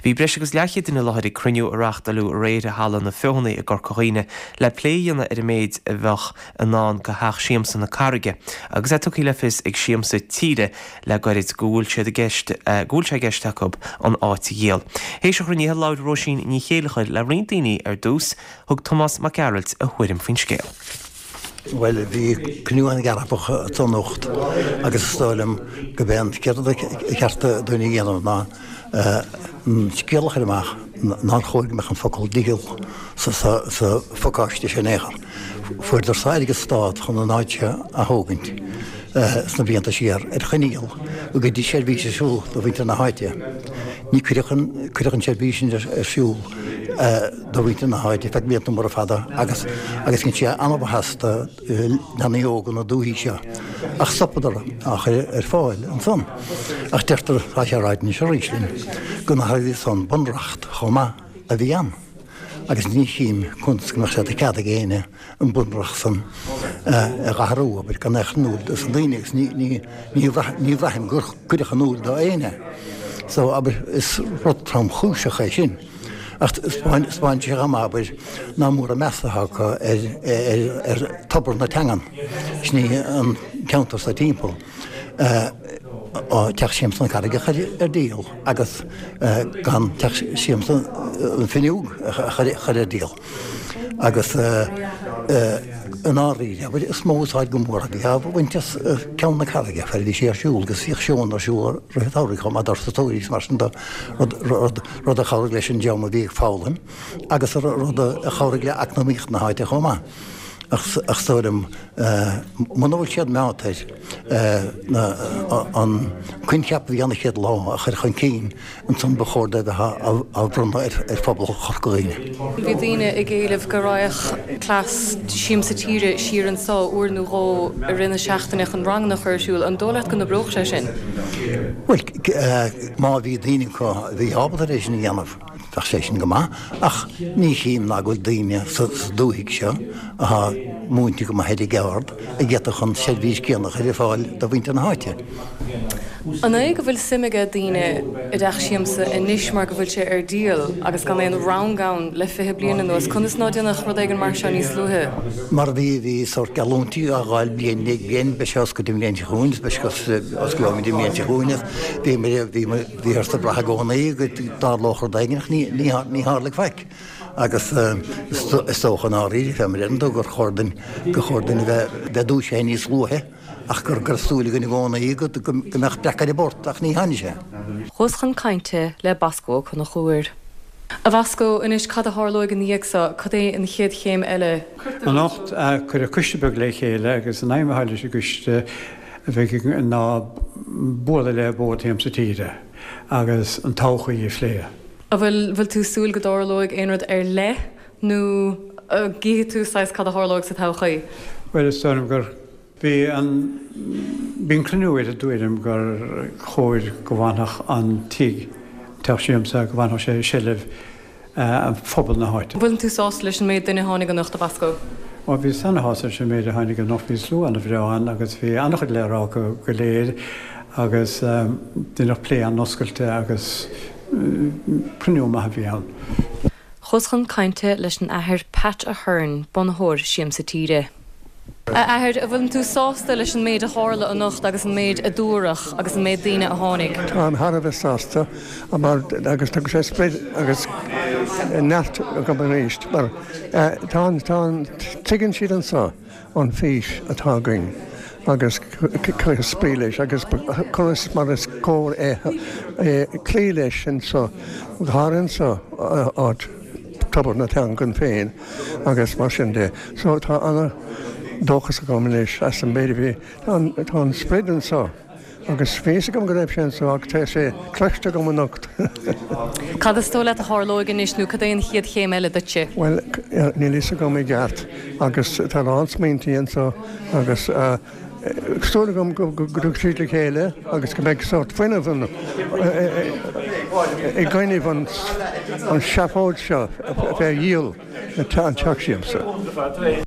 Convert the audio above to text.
Bhí breis agus leathchéad duine i láthair ag cruinniú a reáchtáileadh aréir i Halla na Feothanaí i gCorca Dhuibhne le plé a dhéanamh ar an méid a bheadh i ndán do Theach Siamsa na Carraige agus é tugtha le fios ag Siamsa Tíre le gairid go bhfuil siad i gceist go bhfuil sé i gceist acu an áit a dhíol. Théis an chruinnithe labhair Róisín Ní Chéilleachair le roinnt daoine ar dtús, thug Tomás Mac Gearailt a thuairim faoin scéal. Bhuel, bhí cruinniú an-dearfach anso anocht agus is dóigh liom gurb é an chéad rud ba cheart dúinn a dhéanamh ná an scéal a chur amach nár chóir go mbeadh an focal 'díol' sa phacáiste sin in aon chor. Fuaireadar sa airgead stát chun an áit seo a thógaint sna blianta siar ar choinníoll go gcuirfí seirbhís ar siúl do mhuintir na háite. Ní cuireadh an cuireadh an tseirbhís sin ar siúl do mhuintir na háite feadh blianta móra fada agus agus dhein sé an-mhaitheas do leanaí óga na dúichí seo ach stopadar á chur ar fáil ansan. Ach deirtear, tá sé ráite anois arís linn, go n-athraíodh san bunreacht chomh maith a bhí ann agus ní chím conas go mbeadh sé de chead ag éinne an bunreacht san a dh'athrú, abair, gan é a chur in iúl dos na daoine agus ní ní bhraithim gur cuireadh in iúl do éinne. So, abair, is rud tromchúiseach é sin. Ach 'spáineann sé chomh maith, abair, nach mór an meas atá acu ar tobar na teangan, sin í an ceantar so timpeall, Teach Siamsa na Carraige a chur ar díol agus gan Teach Siamsa na Finneog a chur ar díol. Agus i ndáiríre, abair, is mó úsáid go mór a bhí á bhaint as Ceann na Carraige, fad a bhí sé ar siúl agus bhíodh seónna ar siúl i rith an tsamhraidh chomh maith d'turasóirí is mar sin de, rud rud a chabhraigh leis an dream a bhí ag foghlaim agus rud a chabhraigh le eacnamaíocht na háite chomh maith. Ach is dóigh liom, muna bhfuil siad meáite ar an coincheap a bhí ann an chéad lá a chur chun cinn, ansan ba chóir dóibh a bheith á bhronnadh ar phobal Chorca Dhuibhne. Bhí daoine ag éileamh go raghadh cleas Siamsa Tíre siar anso uair nó dhó i rith na seachtaine chun ranganna a chur ar siúl. An dóigh leat go n-oibreodh sé sin? Bhuel, má bhí daoine acu a bhí ábalta é sin a dhéanamh, bheadh sé sin go maith, ach ní chím ná go bhfuil daoine sa dúthaigh seo atá múinte go maith ar an gceard a d'fhéadfadh an tseirbhís céanna a chur ar fáil do mhuintir na háite. An é go bhfuil suim aige daoine i dTeach Siamsa anois mar go bhfuil sé ar díol agus gan aon rang ann le 20 bliain anuas? Conas ná déanadh rud éigin mar seo níos luaithe? Mar bhí, bhí sórt geallúintí á dh'fháil bliain i ndiaidh bliain, beidh sé oscailte an bhliain seo chugainn, beidh sé oscailte an bhliain seo chugainn, bhí, bhí, bhíothas ag brath i gcónaí go dtarlódh rud éigin ach ní, ní, ní tharlaigh faic. Agus is dócha i ndáiríre, fé mar a deireann tú, gur chóir duinn, gur chóir duinn a bheith, bheith dúisithe níos luaithe ach gur, go raibh súil againn i gcónaí go, go mbeadh breac ar an bport ach ní tháinig sé. Chuas chun cainte le Bosco Ó Conchúir. A Bhosco, anois cad a tharlóidh ina dhiaidh so? Cad é an chéad chéim eile? Anocht, cuireadh coiste beag le chéile agus an aidhm atá leis an gcoiste a bheidh ná bualadh le Bord Shiamsa Tíre agus an todhchaí a phlé. An bhfuil, bhfuil tú ag súil go dtarlóidh aon rud ar leith nó an gcífidh tú saghas cad a tharlóidh sa todhchaí? Bhuel, is dóigh liom gur, bhí an, bhí an cruinniú ar an dtuairim gur chóir go bhfanfadh an tigh, Teach Siamsa, go bhfanfadh sé i seilbh phobal na háite. An bhfuil tú sásta leis an méid duine a tháinig anocht, a Bhosco? Ó, bhíos ana-shásta leis an méid a tháinig anocht. Bhí slua ana-bhreá ann agus bhí ana-chuid le rá acu go léir agus deineadh plé an-oscailte agus cruinniú maith a bhí ann. Chuas chun cainte leis an Athair Pat Ahern, bunaitheoir Siamsa Tíre. A Athair, an bhfuileann tú sásta leis an méid a tharla anocht agus an méid a dúradh agus an méid daoine a tháinig? Táim thar a bheith sásta mar agus thug sé sprid agus neart dom arís mar tá an, tá an, tuigeann siad anseo an fís atá againn agus cuireadh spraoi leis agus conas mar is cóir é cloí leis anseo, go háirithe anseo áit tobar na teangan féin agus mar sin de. So tá ana dóchas agam anois as an méid a bhí, tá an sprid anseo agus bhí fhios agam go raibh sé anseo ach tá sé cloiste agam anocht. Cad is dóigh leat a tharlóidh anois nó cad é an chéad chéim eile duitse? Bhuel, níl fhios agam i gceart agus tá a lán smaointí anseo agus súil agam go dtiocfaidh siad le chéile agus go mbeidh sórt fuinneamh ann i gcoinnibh an seafóid seo fé dhíol an teach siamsa.